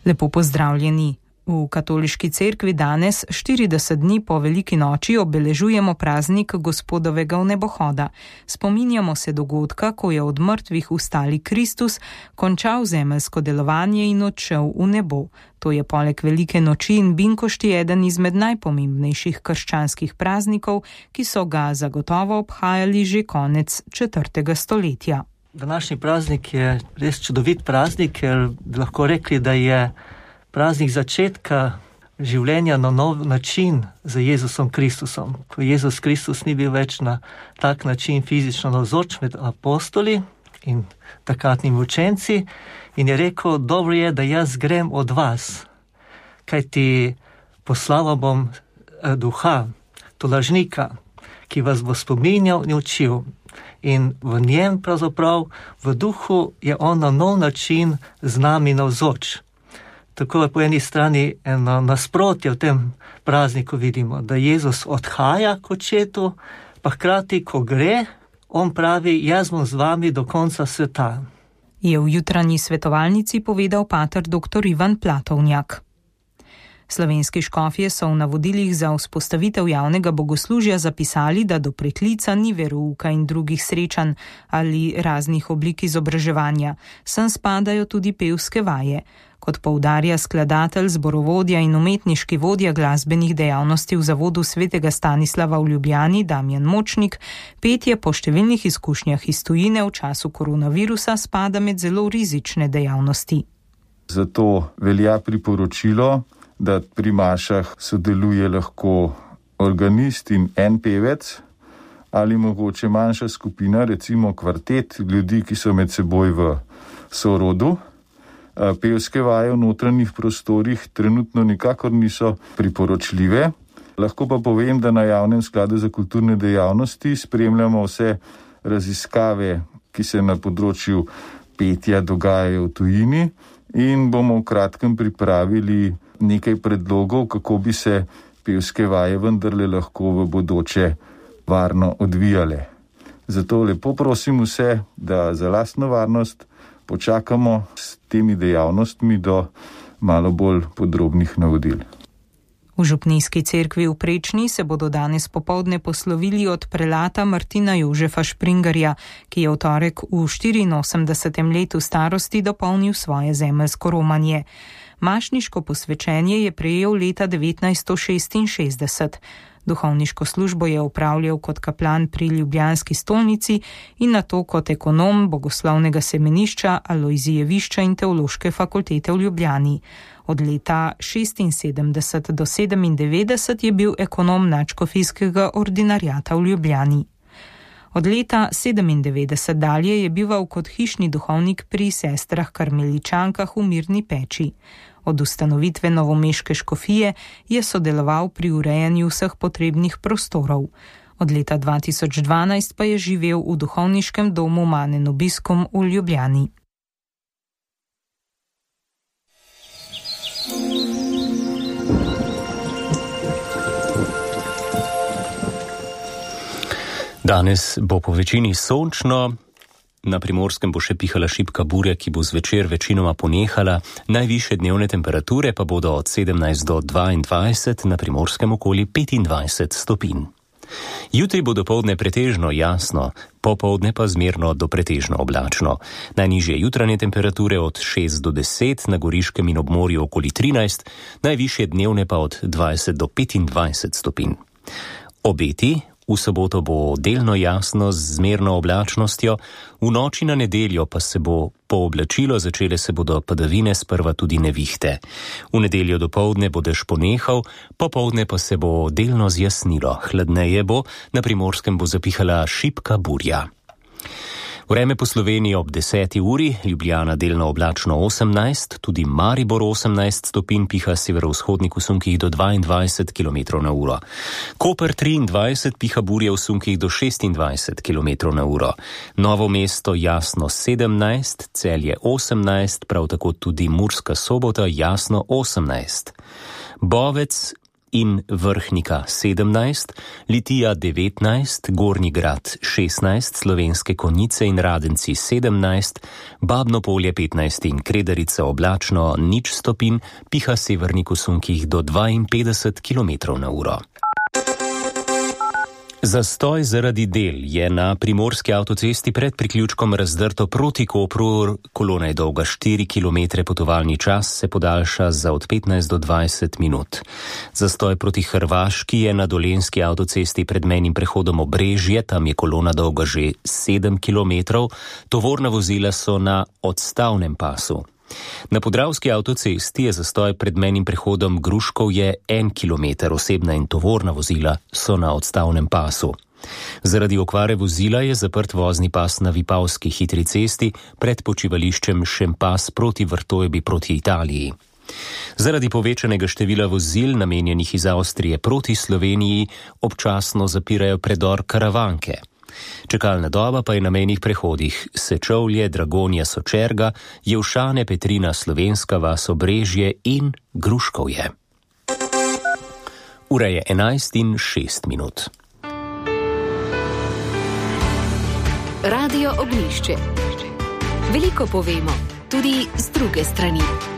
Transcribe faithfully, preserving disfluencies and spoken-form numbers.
Lepo pozdravljeni. V katoliški cerkvi danes, štirideset dni po veliki noči, obeležujemo praznik Gospodovega vnebohoda. Spominjamo se dogodka, ko je od mrtvih vstali Kristus, končal zemeljsko delovanje in odšel v nebo. To je poleg velike noči in binkošti eden izmed najpomembnejših krščanskih praznikov, ki so ga zagotovo obhajali že konec četrtega stoletja. Današnji praznik je res čudovit praznik, ker lahko rekli, da je praznik začetka življenja na nov način za Jezusom Kristusom. Ko Jezus Kristus ni bil več na tak način fizično navzoč med apostoli in takratnimi učenci in je rekel, dobro je, da jaz grem od vas, kajti poslal bom duha, tolažnika, ki vas bo spominjal in učil. In v njem pravzaprav, v duhu je on na nov način z nami navzoč. Tako je po eni strani eno nasprotje v tem prazniku vidimo, da Jezus odhaja k očetu, pa hkrati, ko gre, on pravi, jaz bom z vami do konca sveta. Je v jutranji svetovalnici povedal pater doktor Ivan Platovnjak. Slovenski škofje so v navodilih za vzpostavitev javnega bogoslužja zapisali, da do preklica ni verouka in drugih srečanj ali raznih oblik izobraževanja. Sem spadajo tudi pevske vaje. Kot poudarja skladatelj, zborovodja in umetniški vodja glasbenih dejavnosti v zavodu svetega Stanislava v Ljubljani, Damjan Močnik, petje po številnih izkušnjah iz tujine v času koronavirusa spada med zelo rizične dejavnosti. Zato velja priporočilo, da pri mašah sodeluje lahko organist in en pevec ali mogoče manjša skupina, recimo kvartet ljudi, ki so med seboj v sorodu. Pevske vaje v notranjih prostorih trenutno nikakor niso priporočljive. Lahko pa povem, da na Javnem skladu za kulturne dejavnosti spremljamo vse raziskave, ki se na področju petja dogajajo v tujini in bomo v kratkem pripravili nekaj predlogov, kako bi se pevske vaje vendarle lahko v bodoče varno odvijale. Zato lepo prosim vse, da za lastno varnost počakamo s temi dejavnostmi do malo bolj podrobnih navodil. V župnijski cerkvi v Prečni se bodo danes popoldne poslovili od prelata Martina Jožefa Špringarja, ki je v torek v štiriinosemdesetem letu starosti dopolnil svoje zemeljsko romanje. Mašniško posvečenje je prejel leta devetnajststo šestinšestdeset. Duhovniško službo je opravljal kot kaplan pri ljubljanski stolnici in nato kot ekonom bogoslovnega semenišča, Alojzijevišča in teološke fakultete v Ljubljani. Od leta šestinsedemdeset do sedemindevetdeset je bil ekonom nadškofijskega ordinariata v Ljubljani. Od leta sedemindevetdeset dalje je bival kot hišni duhovnik pri sestrah karmeličankah v Mirni Peči. Od ustanovitve novomeške škofije je sodeloval pri urejanju vseh potrebnih prostorov. Od leta dva tisoč dvanajst pa je živel v duhovniškem domu Mane Nobiscum v Ljubljani. Danes bo po večini sončno. Na Primorskem bo še pihala šibka burja, ki bo zvečer večinoma ponehala. Najvišje dnevne temperature pa bodo od sedemnajst do dvaindvajset, na Primorskem okoli petindvajset stopinj. Jutri bo dopoldne pretežno jasno, popoldne pa zmerno do pretežno oblačno. Najnižje jutranje temperature od šest do deset, na Goriškem in ob morju okoli trinajst, najvišje dnevne pa od dvajset do petindvajset stopinj. Obeti. V soboto bo delno jasno z zmerno oblačnostjo, v noči na nedeljo pa se bo pooblačilo, začele se bodo padavine, sprva tudi nevihte. V nedeljo dopoldne bo dež ponehal, popoldne pa se bo delno zjasnilo. Hladneje bo, na Primorskem bo zapihala šibka burja. Vreme po Sloveniji ob deseti uri, Ljubljana delno oblačno osemnajst, tudi Maribor osemnajst stopinj, piha severovzhodnik v sunkih do dvaindvajset kilometrov na uro. Koper triindvajset, piha burja v sunkih do šestindvajset kilometrov na uro. Novo mesto jasno sedemnajst, Celje osemnajst, prav tako tudi Murska Sobota jasno osemnajst. Bovec in Vrhnika sedemnajst, Litija devetnajst, Gornji Grad šestnajst, Slovenske Konjice in Radenci sedemnajst, Babno Polje petnajst in Kredarica oblačno nič stopinj, piha severnik v sunkih do dvainpetdeset kilometrov na uro. Zastoj zaradi del je na primorski avtocesti pred priključkom Razdrto proti Kopru, kolona je dolga štiri kilometre, potovalni čas se podaljša za od petnajst do dvajset minut. Zastoj proti Hrvaški je na dolenjski avtocesti pred mejnim prehodom Obrežje, tam je kolona dolga že sedem kilometrov, tovorna vozila so na odstavnem pasu. Na podravski avtocesti je zastoj pred mejnim prehodom Gruškovje en kilometer, osebna in tovorna vozila so na odstavnem pasu. Zaradi okvare vozila je zaprt vozni pas na Vipavski hitri cesti pred počivališčem Šempas proti Vrtojbi proti Italiji. Zaradi povečanega števila vozil, namenjenih iz Avstrije proti Sloveniji, občasno zapirajo predor Karavanke. Čakalna doba pa je na mejnih prehodih Sečovlje, Dragonja, Sočerga, Jevšane, Petrina, Slovenska vas, Obrežje in Gruškovje. Ura je enajst in šest minut. Radio Ognjišče. Veliko povemo, tudi z druge strani.